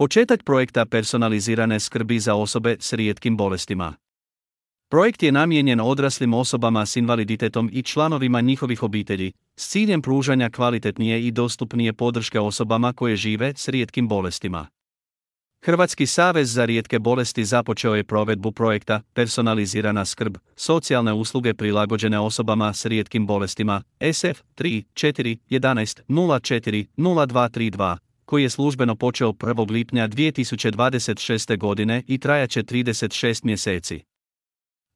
Početak projekta personalizirane skrbi za osobe s rijetkim bolestima. Projekt je namijenjen odraslim osobama s invaliditetom i članovima njihovih obitelji, s ciljem pružanja kvalitetnije i dostupnije podrške osobama koje žive s rijetkim bolestima. Hrvatski savez za rijetke bolesti započeo je provedbu projekta Personalizirana skrb, socijalne usluge prilagođene osobama s rijetkim bolestima, SF 3 4 11 04 0232, koji je službeno počeo 1. lipnja 2026. godine i trajaće 36 mjeseci.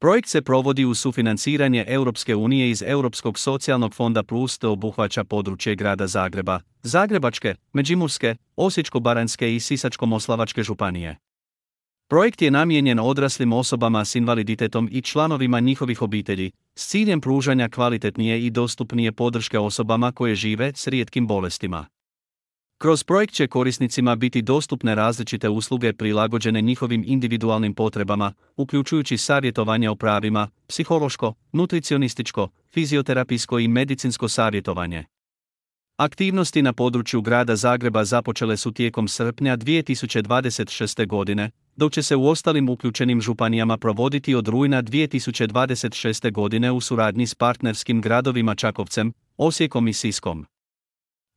Projekt se provodi uz sufinanciranje Europske unije iz Europskog socijalnog fonda plus te obuhvaća područje grada Zagreba, Zagrebačke, Međimurske, Osječko-baranjske i Sisačko-moslavačke županije. Projekt je namijenjen odraslim osobama s invaliditetom i članovima njihovih obitelji, s ciljem pružanja kvalitetnije i dostupnije podrške osobama koje žive s rijetkim bolestima. Kroz projekt će korisnicima biti dostupne različite usluge prilagođene njihovim individualnim potrebama, uključujući savjetovanje o pravima, psihološko, nutricionističko, fizioterapijsko i medicinsko savjetovanje. Aktivnosti na području grada Zagreba započele su tijekom srpnja 2026. godine, dok će se u ostalim uključenim županijama provoditi od rujna 2026. godine u suradnji s partnerskim gradovima Čakovcem, Osijekom i Siskom.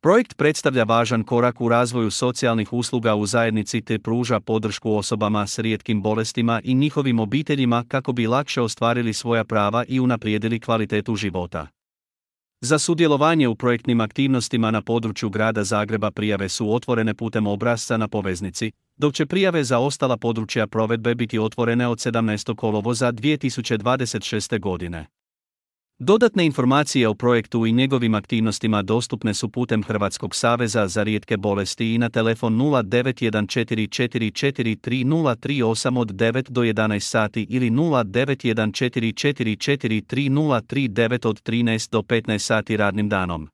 Projekt predstavlja važan korak u razvoju socijalnih usluga u zajednici te pruža podršku osobama s rijetkim bolestima i njihovim obiteljima kako bi lakše ostvarili svoja prava i unaprijedili kvalitetu života. Za sudjelovanje u projektnim aktivnostima na području grada Zagreba prijave su otvorene putem obrasca na poveznici, dok će prijave za ostala područja provedbe biti otvorene od 17. kolovoza 2026. godine. Dodatne informacije o projektu i njegovim aktivnostima dostupne su putem Hrvatskog saveza za rijetke bolesti i na telefon 0914443038 od 9 do 11 sati ili 0914443039 od 13 do 15 sati radnim danom.